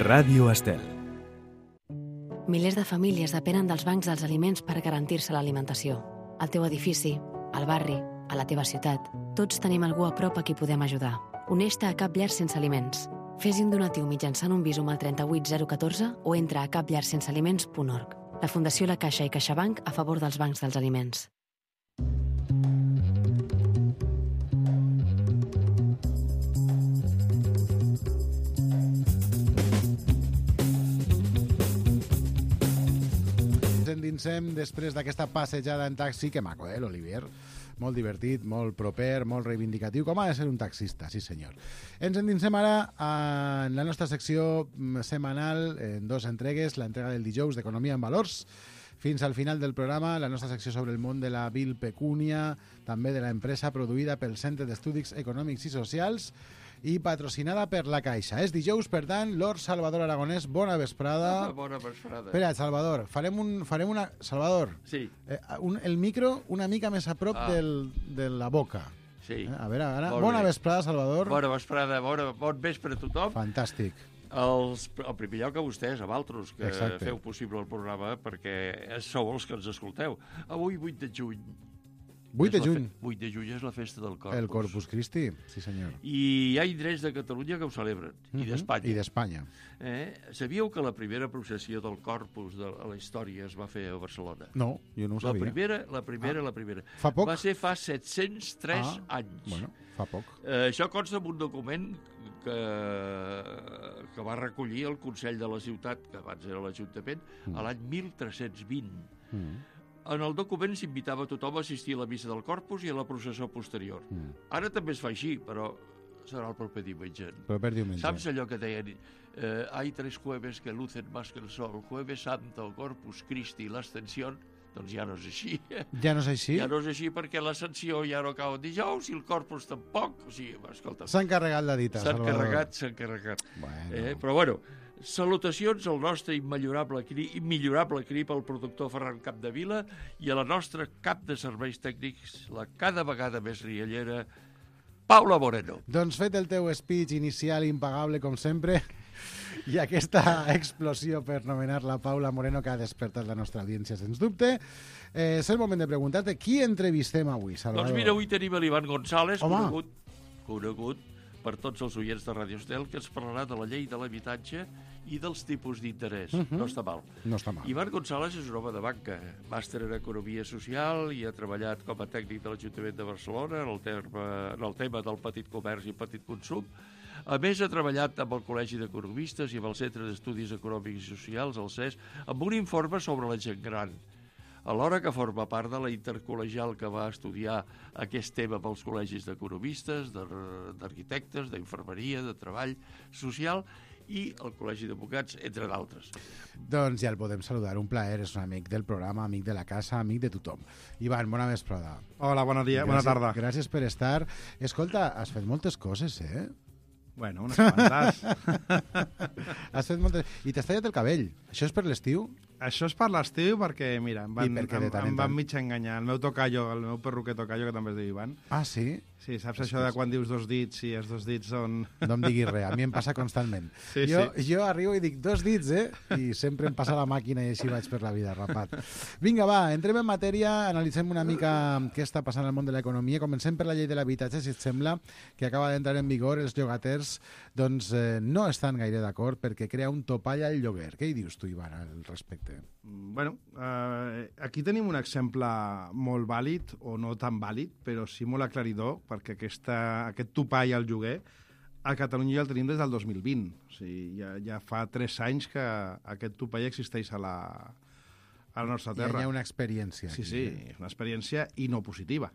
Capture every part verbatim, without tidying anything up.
Ràdio Estel. Milers de famílies depenen dels bancs dels aliments per garantir-se l'alimentació. Al teu edifici, al barri, a la teva ciutat, tots tenim algú a prop a qui podem ajudar. Uneix-te a Cap Llar Sense Aliments. Fes-hi un donatiu mitjançant un Bizum al trenta-vuit zero catorze o entra a cap llar sense aliments punt org. La Fundació La Caixa i CaixaBank a favor dels bancs dels aliments. Ens endinsem després d'aquesta passejada en taxi, que maco, eh, l'Olivier? Molt divertit, molt proper, molt reivindicatiu, com ha de ser un taxista, sí senyor. Ens endinsem ara en la nostra secció setmanal, en dos entregues, l'entrega del dijous d'Economia en Valors, fins al final del programa, la nostra secció sobre el món de la vil pecúnia, també de l'empresa produïda pel Centre d'Estudis Econòmics i Socials, i patrocinada per la Caixa. És dijous, per tant, Lord Salvador Aragonès, bona vesprada. Ah, bona vesprada. Espera, Salvador, farem, un, farem una... Salvador, sí. eh, un, el micro una mica més a prop ah. del, de la boca. Sí. Eh? A veure, ara... Molt bona bé. vesprada, Salvador. Bona vesprada, bona, bon vespre a tothom. Fantàstic. Els, el primer lloc a vostès, a Valtros, que Exacte. feu possible el programa, perquè sou els que ens escolteu. Avui, vuit de juny. vuit de juny. vuit de juny és la festa del Corpus. El Corpus Christi, sí senyor. I hi ha indrets de Catalunya que ho celebren, uh -huh. i d'Espanya. I d'Espanya. Eh? Sabíeu que la primera processió del Corpus de la història es va fer a Barcelona? No, jo no ho sabia. La primera, la primera, ah. la primera. Fa poc? Va ser fa set-cents tres ah. anys. Bueno, fa poc. Eh, això consta en un document que, que va recollir el Consell de la Ciutat, que abans era l'Ajuntament, mm. a l'any mil tres-cents vint. Mm. En el document s'invitava tothom a assistir a la missa del Corpus i a la processó posterior. Mm. Ara també es fa així, però serà el proper diumenge. Proper diumenge. Saps allò que deien? Eh, hay tres jueves que lucen más que el sol. Jueves Santo, Corpus Christi i l'Ascensió. Doncs ja no és així. Ja no és així? Ja no és així perquè l'Ascensió ja no cau en dijous i el Corpus tampoc. O sigui, escolta... S'ha encarregat la dita, Salvador. S'ha encarregat, s'ha encarregat. Bueno. Eh, però bueno... Salutacions al nostre immillorable cri, immillorable cri pel productor Ferran Capdevila i a la nostra cap de serveis tècnics, la cada vegada més riallera, Paula Moreno. Doncs fet el teu speech inicial impagable, com sempre, i aquesta explosió per nomenar la Paula Moreno que ha despertat la nostra audiència, sens dubte, eh, és el moment de preguntar-te qui entrevistem avui, Salvador? Doncs mira, avui tenim l'Ivan González, Home. conegut, conegut per tots els oients de Ràdio Estel, que ens parlarà de la llei de l'habitatge i dels tipus d'interès. Uh -huh. No està mal. No està mal. Ivan González és un home de banca, màster en Economia Social i ha treballat com a tècnic de l'Ajuntament de Barcelona en el, terme, en el tema del petit comerç i petit consum. A més, ha treballat amb el Col·legi d'Economistes i amb el Centre d'Estudis Econòmics i Socials, el C E S, amb un informe sobre la gent gran. Alhora que forma part de la intercol·legial que va estudiar aquest tema pels col·legis d'economistes, d'arquitectes, d'infermeria, de treball social i el Col·legi d'Advocats, entre d'altres. Doncs ja el podem saludar, un plaer, és un amic del programa, amic de la casa, amic de tothom. Ivan, bona vesprada. Hola, bon dia, bona tarda. Gràcies per estar. Escolta, has fet moltes coses, eh? Bueno, unes quantes. Has fet moltes... I t'has tallat el cabell. Això és per l'estiu? Això és per l'estiu perquè, mira, em van, I perquè de em, tant en em van tant. mig enganyar. El meu tocayo, el meu perruquer tocayo, que també es diu Ivan. Ah, sí? Sí, saps això de quan dius dos dits i els dos dits són... No em diguis res, a mi em passa constantment. Sí, jo, sí. jo arribo i dic dos dits, eh? I sempre em passa la màquina i així vaig per la vida, rapat. Vinga, va, entrem en matèria, analitzem una mica què està passant al món de l'economia. Comencem per la llei de l'habitatge, si et sembla, que acaba d'entrar en vigor. Els llogaters doncs, eh, no estan gaire d'acord perquè crea un topall al lloguer. Què hi dius tu, Ivan, al respecte? Bueno, eh, aquí tenim un exemple molt vàlid, o no tan vàlid, però sí molt aclaridor, perquè aquesta, aquest topall al lloguer a Catalunya ja el tenim des del dos mil vint. O sigui, ja, ja fa tres anys que aquest topall existeix a la, a la nostra terra. Ja hi ha una experiència. Sí, aquí, sí, eh? és una experiència i no positiva.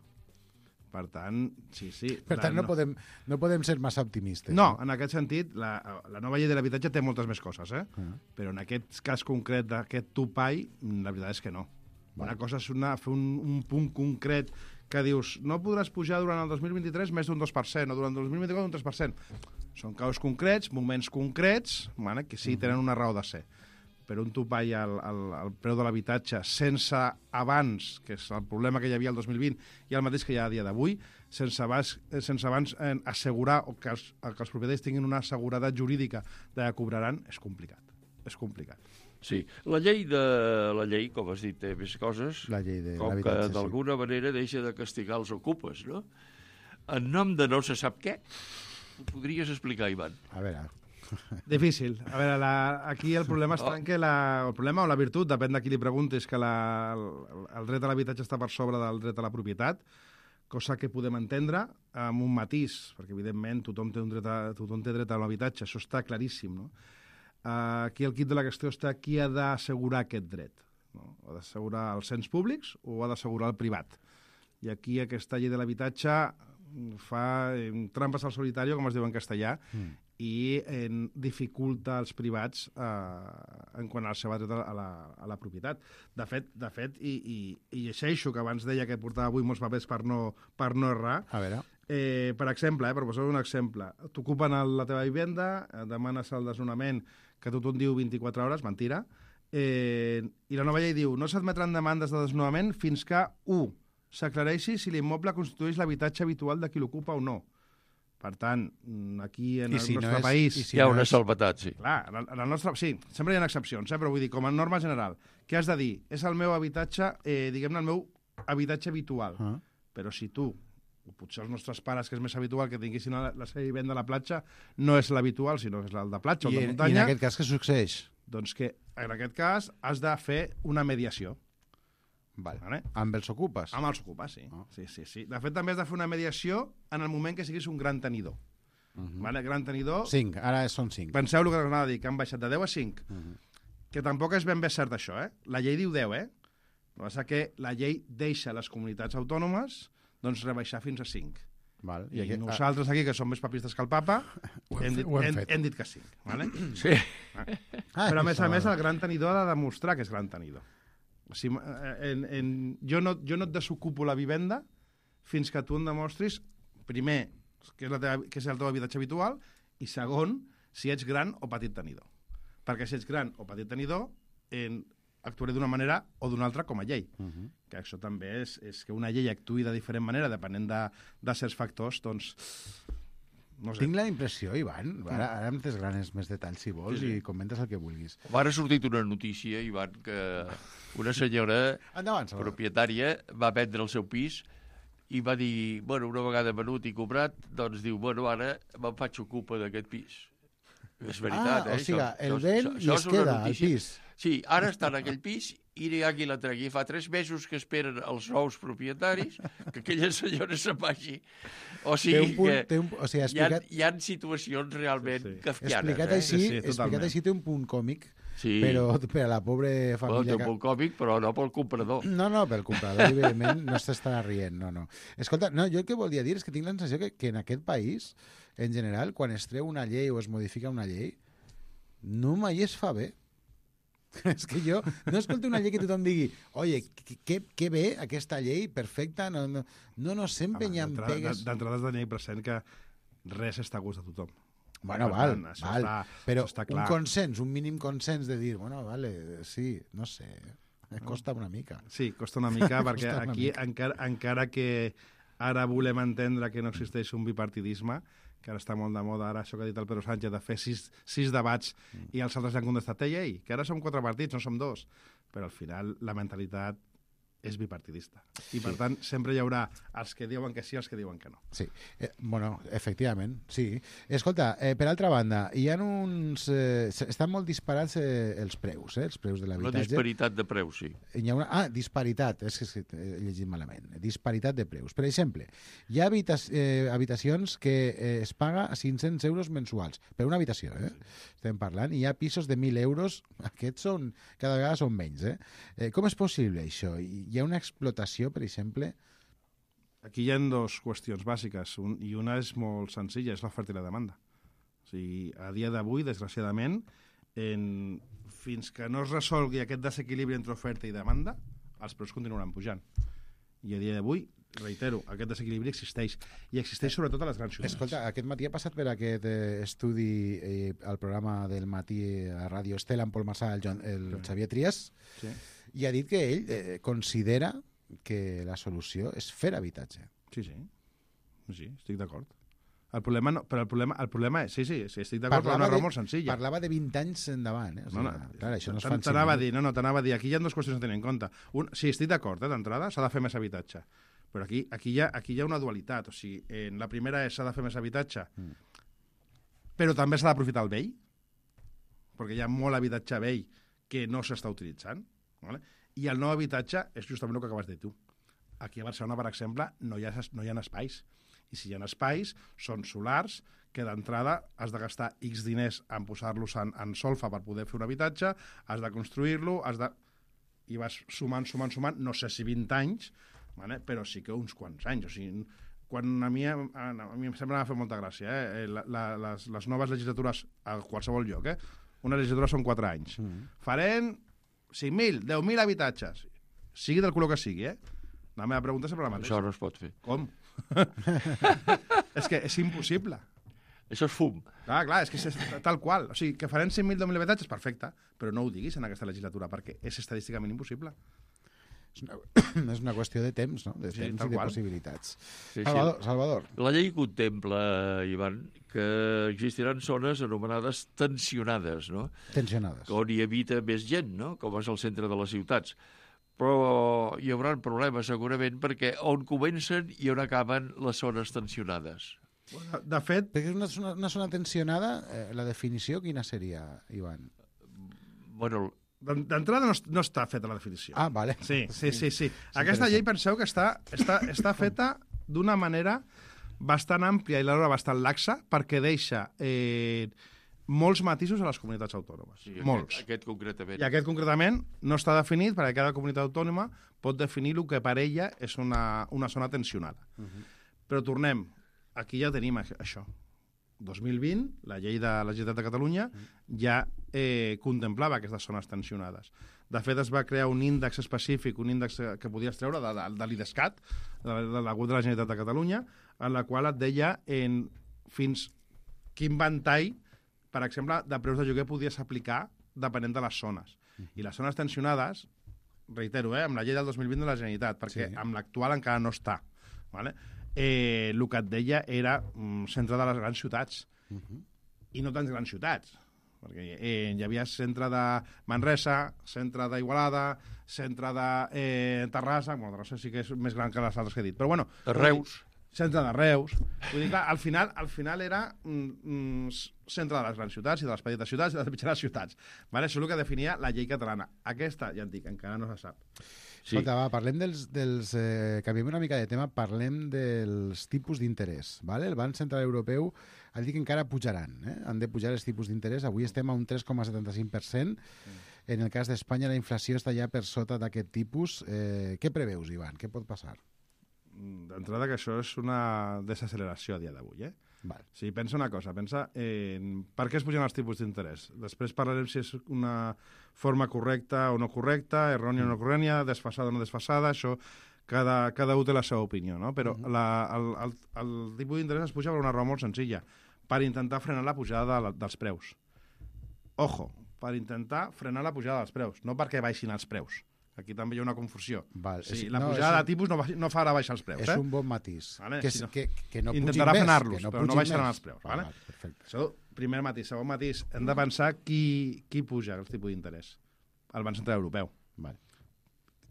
Per tant, sí, sí. Per tant, no, no, podem, no podem ser massa optimistes. No, en aquest sentit, la, la nova llei de l'habitatge té moltes més coses, eh? Uh -huh. Però en aquest cas concret d'aquest topall, la veritat és que no. Una bueno. cosa és una, fer un, un punt concret que dius, no podràs pujar durant el dos mil vint-i-tres més d'un dos per cent, o durant el dos mil vint-i-quatre un tres per cent. Són casos concrets, moments concrets, bueno, que sí, tenen una raó de ser. per un topall al, al, al preu de l'habitatge sense abans, que és el problema que hi havia el dos mil vint i el mateix que hi ha a dia d'avui, sense abans, sense abans eh, assegurar o que els, que els propietaris tinguin una seguretat jurídica de que cobraran, és complicat. És complicat. Sí, la llei, de, la llei, com has dit, té més coses, La llei de com que l'habitatge, sí. d'alguna manera deixa de castigar els ocupes, no? En nom de no se sap què, ho podries explicar, Ivan? A veure, Difícil. A veure, la, aquí el problema està en que la, el problema o la virtut, depèn de qui li preguntis, que la, el, el dret a l'habitatge està per sobre del dret a la propietat, cosa que podem entendre amb un matís, perquè evidentment tothom té, un dret a, tothom té dret a l'habitatge, això està claríssim, no? Uh, aquí el quid de la qüestió està qui ha d'assegurar aquest dret. No? Ha d'assegurar els ens públics o ha d'assegurar el privat. I aquí aquesta llei de l'habitatge fa eh, trampes al solitari, com es diu en castellà, mm. i eh, dificulta els privats eh, en quant al seu dret a la, a la propietat. De fet, de fet i, i, i llegeixo, que abans deia que portava avui molts papers per no, per no errar, a veure... Eh, per exemple, eh, per posar un exemple, t'ocupen la teva vivenda, eh, demanes el desnonament, que tothom diu vint-i-quatre hores, mentira, eh, i la nova llei diu no s'admetran demandes de desnonament fins que, u, s'aclareixi si l'immoble constitueix l'habitatge habitual de qui l'ocupa o no. Per tant, aquí en I el si nostre no és, país... i si Hi ha no una és... salvetat, sí. Clar, en el, en el nostre... Sí, sempre hi ha excepcions, eh? Però vull dir, com a norma general, què has de dir? És el meu habitatge, eh, diguem-ne, el meu habitatge habitual. Ah. Però si tu, o potser els nostres pares, que és més habitual que tinguessin la, la seva vivenda a la platja, no és l'habitual, sinó que és el de platja o I, de I muntanya, en aquest cas què succeeix? doncs que en aquest cas has de fer una mediació. Vale. Vale? Amb els ocupes? Amb els ocupes, sí. Ah. sí, sí, sí. De fet, també has de fer una mediació en el moment que siguis un gran tenidor. Uh -huh. Vale? Gran tenidor... Cinc, ara són cinc. Penseu el que us anava a dir, que han baixat de deu a cinc. Uh -huh. Que tampoc és ben bé cert això, eh? La llei diu deu, eh? El que passa que la llei deixa les comunitats autònomes doncs rebaixar fins a cinc. Val. I, I aquí, nosaltres aquí, que som més papistes que el papa, Ho hem hem, fet, dit, ho hem hem, fet. hem dit que cinc. Vale? Sí. Ah, Però a més a això, més vale. el gran tenidor ha de demostrar que és gran tenidor. O sigui, en, en, jo, no, jo no et desocupo la vivenda fins que tu em demostris, primer, que és, la teva, que és el teu habitatge habitual, i segon, si ets gran o petit tenidor. Perquè si ets gran o petit tenidor, en, actuaré d'una manera o d'una altra com a llei. Uh -huh. Que això també és, és que una llei actuï de diferent manera, depenent de, de certs factors, doncs... No sé. Tinc la impressió, Ivan, ara, ara em desgranes més detalls si vols Sí, sí. i comentes el que vulguis. Ara ha sortit una notícia, Ivan, que una senyora Endavant, Salvador. propietària va vendre el seu pis i va dir, bueno, una vegada venut i comprat, doncs diu, bueno, ara me'n faig ocupa d'aquest pis. És veritat, ah, eh? o sigui, Això- el això- ven això i es és una queda al notícia. pis. Sí, ara està en aquell pis i no hi ha qui la tregui. Fa tres mesos que esperen els nous propietaris que aquella senyora se'n vagi. O Té un sigui punt, que té un, o sigui, hi ha, explicat, hi ha situacions realment Sí, sí. kafkianes. explicat, eh? així, Sí, sí, explicat totalment. així té un punt còmic, Sí, però per a la pobra bueno, té família... un punt còmic, però no pel comprador. No, no, pel comprador, evidentment, no s'estarà rient, no, no. Escolta, no, jo el que volia dir és que tinc la sensació que, que en aquest país, en general, quan es treu una llei o es modifica una llei, no mai es fa bé. És que jo no escolto una llei que tothom digui oye, que, que bé aquesta llei, perfecta, no, no, no, no sempre Home, hi ha d'entrada- pegues... D'entrada has de tenir present que res està a gust de tothom. Bueno, Per val, tant, això val, està- però això està un clar. consens, un mínim consens de dir, bueno, vale, sí, no sé, costa una mica. Sí, costa una mica, perquè Costa una aquí, mica. encara, encara que ara volem entendre que no existeix un bipartidisme, que ara està molt de moda, ara això que ha dit el Pedro Sánchez, de fer sis, sis debats mm. i els altres li han contestat, ei, ei, que ara som quatre partits, no som dos. Però al final la mentalitat és bipartidista. I, per tant, sempre hi haurà els que diuen que sí i els que diuen que no. Sí, eh, bueno, efectivament, sí. Escolta, eh, per altra banda, hi ha uns... Eh, estan molt disparats eh, els preus, eh, els preus de Una l'habitatge. disparitat de preus, sí. Hi ha una... Ah, disparitat, és que he llegit malament. Disparitat de preus. Per exemple, hi ha habita eh, habitacions que eh, es paga a cinc-cents euros mensuals, per una habitació, eh? Estem parlant. Hi ha pisos de mil euros, aquests són, cada vegada són menys, eh? eh com és possible això? Hi ha una explotació, per exemple? Aquí hi ha dues qüestions bàsiques, un, i una és molt senzilla, és l'oferta i la demanda. O sigui, a dia d'avui, desgraciadament, en, fins que no es resolgui aquest desequilibri entre oferta i demanda, els preus continuaran pujant. I a dia d'avui reitero, aquest desequilibri existeix. I existeix sobretot a les grans ciutats. Escolta, aquest matí ha passat per aquest eh, estudi eh, al programa del matí a Ràdio Estela, en Pol Marsà, el, John, el sí. Xavier Trias, sí. i ha dit que ell eh, considera que la solució és fer habitatge. Sí, sí. Sí, estic d'acord. El problema no, però el problema, el problema és, sí, sí, sí estic d'acord, però una raó molt senzilla. Parlava de vint anys endavant, eh? O sigui, no, no, clar, això no es fa en t'anava a dir, no, no, t'anava a dir, aquí hi ha dues qüestions a tenir en compte. Un, sí, estic d'acord, eh, d'entrada, s'ha de fer més habitatge. Però aquí, aquí, hi ha, aquí hi ha una dualitat, o sigui, eh, la primera és s'ha de fer més habitatge, mm. però també s'ha d'aprofitar el vell, perquè hi ha molt habitatge vell que no s'està utilitzant, ¿vale? I el nou habitatge és justament el que acabes de dir tu. Aquí a Barcelona, per exemple, no hi ha, no hi ha espais. I si hi ha espais, són solars, que d'entrada has de gastar X diners en posar-los en, en solfa per poder fer un habitatge, has de construir-lo, has de... i vas sumant, sumant, sumant, no sé si vint anys, vale? Però sí que uns quants anys. O sigui, quan a mi, a, a mi sempre m'ha fet molta gràcia, eh? la, la, les, les noves legislatures a qualsevol lloc, eh? Una legislatura són quatre anys. Mm. Farem cinc mil, deu mil habitatges, sigui del color que sigui, eh? La meva pregunta és sempre la mateixa. Això no es pot fer. Com? És que és impossible. Això és fum. Clar, clar, és que és tal qual. O sigui, que farem cinc mil, deu mil habitatges, perfecte, però no ho diguis en aquesta legislatura, perquè és estadísticament impossible. És una, és una qüestió de temps, no? De sí, temps i de qual. possibilitats. Sí, Salvador, sí. Salvador. La llei contempla, Ivan, que existiran zones anomenades tensionades, no? Tensionades. On hi habita més gent, no? Com és el centre de les ciutats. Però hi haurà problemes segurament perquè on comencen i on acaben les zones tensionades. De fet... Perquè és una, una, una zona tensionada, eh, la definició quina seria, Ivan? Bueno... D'entrada no, no està feta la definició. Ah, vale. Sí, sí, sí. sí. Aquesta llei penseu que està, està, està feta d'una manera bastant àmplia i alhora bastant laxa perquè deixa... Eh, molts matisos a les comunitats autònomes. Sí, molts. Aquest, aquest concretament. I aquest concretament no està definit perquè cada comunitat autònoma pot definir el que per ella és una, una zona tensionada. Uh -huh. Però tornem, aquí ja tenim això. dos mil vint, la llei de la Generalitat de Catalunya uh -huh. ja eh, contemplava aquestes zones tensionades. De fet, es va crear un índex específic, un índex que podies treure de, de, de l'I D E S C A T, de, de la web de la Generalitat de Catalunya, en la qual et deia en fins quin ventall, per exemple, de preus de lloguer podies aplicar depenent de les zones. I les zones tensionades, reitero, eh, amb la llei del dos mil vint de la Generalitat, perquè sí. amb l'actual encara no està, ¿vale? eh, el que et deia era mm, centre de les grans ciutats. Uh -huh. I no tants grans ciutats, perquè eh, hi havia centre de Manresa, centre d'Igualada, centre de eh, Terrassa, bueno, Terrassa sí que és més gran que les altres que he dit, però bueno... Reus. Centre de Reus. Vull dir, clar, al final, al final era mm, mm, centre de les grans ciutats i de les petites ciutats i de les mitjanes ciutats. Vale? Això és el que definia la llei catalana. Aquesta, ja et dic, encara no se sap. Sí. Escolta, va, parlem dels... dels eh, canviem una mica de tema, parlem dels tipus d'interès. Vale? El Banc Central Europeu ha dit que encara pujaran. Eh? Han de pujar els tipus d'interès. Avui estem a un tres coma setanta-cinc per cent. Mm. En el cas d'Espanya, la inflació està ja per sota d'aquest tipus. Eh, què preveus, Ivan? Què pot passar? D'entrada que això és una desacceleració a dia d'avui, eh? Val. Sí, pensa una cosa, pensa en per què es pugen els tipus d'interès. Després parlarem si és una forma correcta o no correcta, errònia o no errònia, desfasada o no desfasada, això cada, cada un té la seva opinió, no? Però uh-huh. la, el, el, el tipus d'interès es puja per una raó molt senzilla, per intentar frenar la pujada de la, dels preus. Ojo, per intentar frenar la pujada dels preus, no perquè baixin els preus. Aquí també hi ha una confusió. Val. Sí, la no, pujada un... de tipus no, no farà baixar els preus. És eh? un bon matís. Vale? Que, si no, que, que no intentarà frenar-los, no però no baixaran els preus. Val, vale? val, perfecte. Això, primer matís. Segon matís, hem de pensar qui, qui puja el tipus d'interès. El Banc Central Europeu. Vale.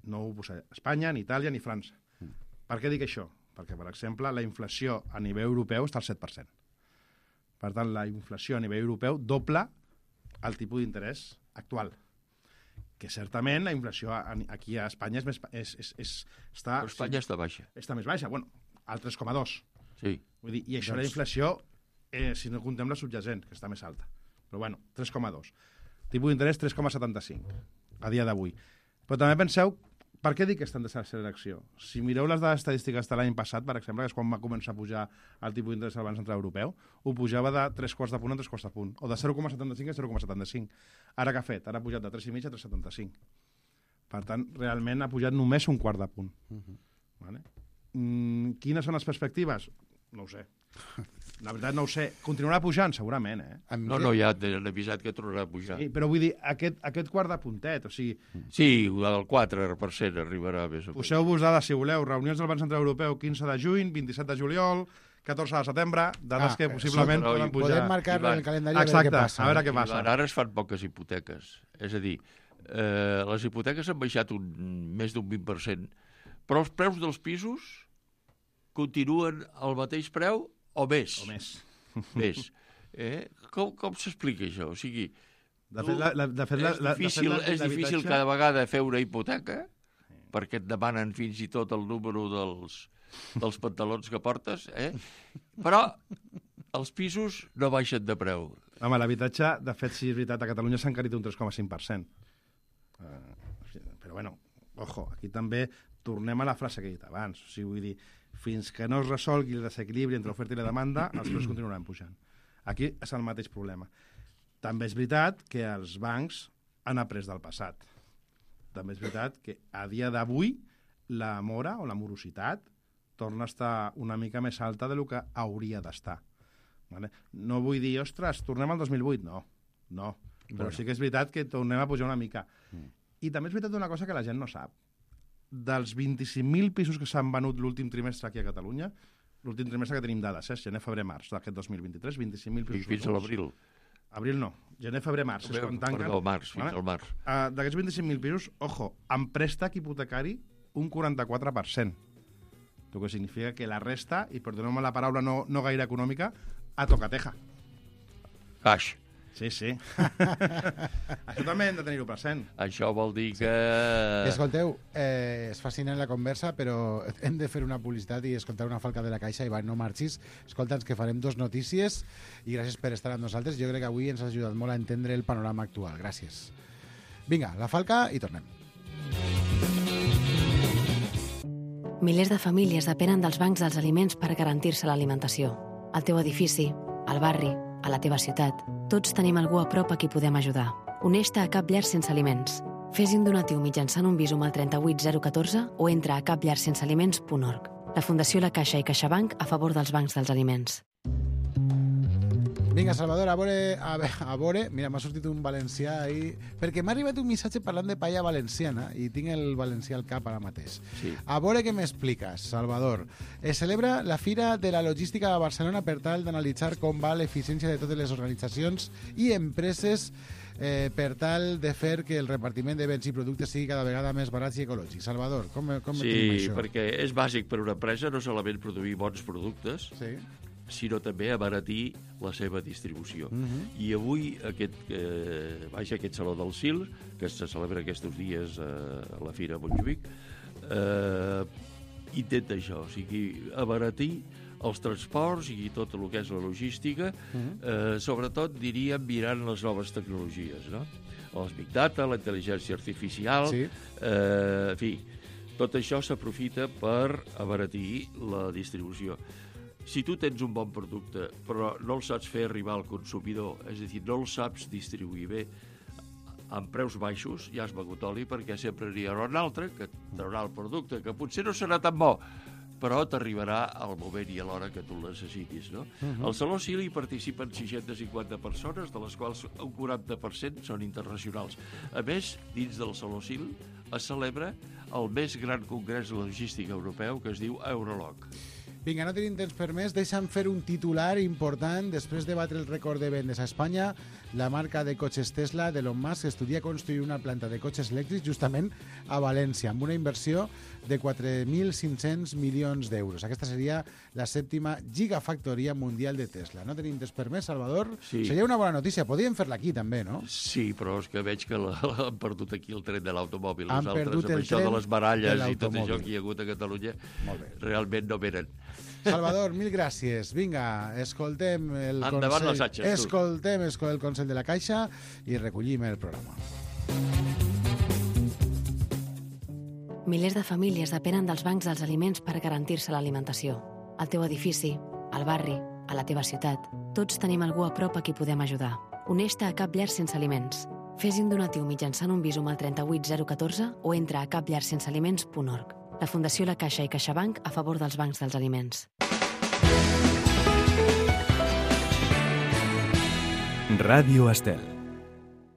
No ho posa Espanya, ni Itàlia, ni França. Mm. Per què dic això? Perquè, per exemple, la inflació a nivell europeu està al set per cent. Per tant, la inflació a nivell europeu dobla el tipus d'interès actual. Que certament la inflació aquí a Espanya és més, és, és, és, està... Però Espanya sí, està baixa. Està més baixa, bueno, al tres coma dos. Sí. Vull dir, i això doncs... la inflació, eh, si no contem la subjacent, que està més alta. Però bueno, tres coma dos. Tipus d'interès tres coma setanta-cinc a dia d'avui. Però també penseu, per què dic que està en desacceleració? Si mireu les dades estadístiques de l'any passat, per exemple, que és quan va començar a pujar el tipus d'interès del Banc Central Europeu, ho pujava de tres quarts de punt a tres quarts de punt, o de zero coma setanta-cinc a zero coma setanta-cinc. Ara què ha fet? Ara ha pujat de tres coma cinc a tres coma setanta-cinc. Per tant, realment ha pujat només un quart de punt. Uh-huh. Vale? Mm, quines són les perspectives? No ho sé. La veritat no ho sé. Continuarà pujant, segurament, eh? No, no, ja han avisat que tornarà a pujar. Sí, però vull dir, aquest, aquest quart de puntet, o sigui... Sí, el quatre per cent arribarà més o menys. Poseu-vos dades, si voleu. Reunions del Banc Central Europeu, quinze de juny, vint-i-set de juliol, catorze de setembre, dades Ah, que possiblement sí, però poden pujar. Podem marcar-lo en el calendari a veure Exacte, què passa. a veure què passa. Ivan, ara es fan poques hipoteques. És a dir, eh, les hipoteques han baixat un, més d'un vint per cent, però els preus dels pisos continuen al mateix preu o més. O més. Més. Eh? Com, com s'explica això? O sigui, De fet, la, la, de fet, la, és la, difícil, de fet, és difícil l'habitatge- cada vegada fer una hipoteca perquè et demanen fins i tot el número dels, dels pantalons que portes, eh? Però els pisos no baixen de preu. Home, l'habitatge, de fet, sí, és veritat, a Catalunya s'ha encarit un tres coma cinc per cent. Uh, però, bueno, ojo, aquí també tornem a la frase que he dit abans. O sigui, vull dir, fins que no es resolgui el desequilibri entre l'oferta i la demanda, els preus continuaran pujant. Aquí és el mateix problema. També és veritat que els bancs han après del passat. També és veritat que a dia d'avui la mora o la morositat torna a estar una mica més alta del que hauria d'estar. Vale? No vull dir, ostres, tornem al dos mil vuit. No, no. Però Bueno. sí que és veritat que tornem a pujar una mica. Mm. I també és veritat una cosa que la gent no sap. Dels vint-i-cinc mil pisos que s'han venut l'últim trimestre aquí a Catalunya, l'últim trimestre que tenim dades, eh? gener, febrer, març d'aquest dos mil vint-i-tres, vint-i-cinc mil I pisos. fins a venuts. l'abril. Abril no, gener, febrer, març. És quan tanquen. Perdó, març, fins Vale? al març. Uh, D'aquests vint-i-cinc mil pisos, ojo, amb préstec hipotecari, un quaranta-quatre per cent. El que significa que la resta, i perdoneu-me la paraula no, no gaire econòmica, a tocateja. Caix. Sí, sí. Això també hem de tenir-ho present. Això vol dir que... Escolteu, eh, és fascinant la conversa, però hem de fer una publicitat i escoltar una falca de la caixa. Ivan, no marxis. Escolta'ns que farem dos notícies i gràcies per estar amb nosaltres. Jo crec que avui ens ha ajudat molt a entendre el panorama actual. Gràcies. Vinga, la falca i tornem. Milers de famílies depenen dels bancs dels aliments per garantir-se l'alimentació. Al teu edifici, al barri, a la teva ciutat, tots tenim algú a prop a qui podem ajudar. Uneix-te a Cap Llar Sense Aliments. Fes un donatiu mitjançant un Bizum al tres vuit zero un quatre o entra a cap llar sense aliments punt org. La Fundació La Caixa i CaixaBank a favor dels bancs dels aliments. Vinga, Salvador, a veure, a, ve- a veure, mira, m'ha sortit un valencià ahí, perquè m'ha arribat un missatge parlant de paella valenciana i tinc el valencià al cap ara mateix. Sí. A veure què m'expliques, Salvador. Es celebra la Fira de la Logística a Barcelona per tal d'analitzar com va l'eficiència de totes les organitzacions i empreses eh, per tal de fer que el repartiment de béns i productes sigui cada vegada més barats i ecològics. Salvador, com, com tenim Sí, això? perquè és bàsic per una empresa no solament produir bons productes, Sí. sinó també abaratir la seva distribució. Uh -huh. I avui aquest, eh, vaja, aquest Saló del S I L, que se celebra aquests dies eh, a la Fira a Montjuïc, eh, intenta això, o sigui, abaratir els transports i tot el que és la logística, uh -huh. eh, sobretot, diríem, mirant les noves tecnologies, no? Els Big Data, la intel·ligència artificial, Sí. eh, en fi, tot això s'aprofita per abaratir la distribució. Si tu tens un bon producte però no el saps fer arribar al consumidor, és a dir, no el saps distribuir bé amb preus baixos, ja has begut oli perquè sempre n'hi haurà un altre que traurà el producte, que potser no serà tan bo, però t'arribarà al moment i a l'hora que tu el necessitis, no? Uh-huh. Al Saló S I L hi participen sis-centes cinquanta persones, de les quals un quaranta per cent són internacionals. A més, dins del Saló S I L es celebra el més gran congrés logístic europeu que es diu Eurolog. Vinga, no tenim temps per més. Deixa'm fer un titular important. Després de batre el rècord de vendes a Espanya, la marca de cotxes Tesla d'Elon Musk estudia construir una planta de cotxes elèctrics justament a València, amb una inversió de quatre mil cinc-cents milions d'euros. Aquesta seria la sèptima gigafactoria mundial de Tesla. No tenim temps per més, Salvador? Sí. Seria una bona notícia. Podríem fer-la aquí, també, no? Sí, però és que veig que la, la, han perdut aquí el tren de l'automòbil. Han Nosaltres, perdut el amb això tren de les baralles de i tot l'automòbil. això que hi ha hagut a Catalunya, Molt bé. realment no venen. Salvador, mil gràcies. Vinga, escoltem el Endavant consell... les atxes, tu. Escoltem el consell de la Caixa i recollim el programa. Milers de famílies depenen dels bancs dels aliments per garantir-se l'alimentació. Al teu edifici, al barri, a la teva ciutat, tots tenim algú a prop a qui podem ajudar. Uneix-te a Cap Llar Sense Aliments. Fes un donatiu mitjançant un Bizum al tres vuit zero un quatre o entra a cap llar sense aliments punt org. La Fundació La Caixa i CaixaBank a favor dels bancs dels aliments. Ràdio Estel.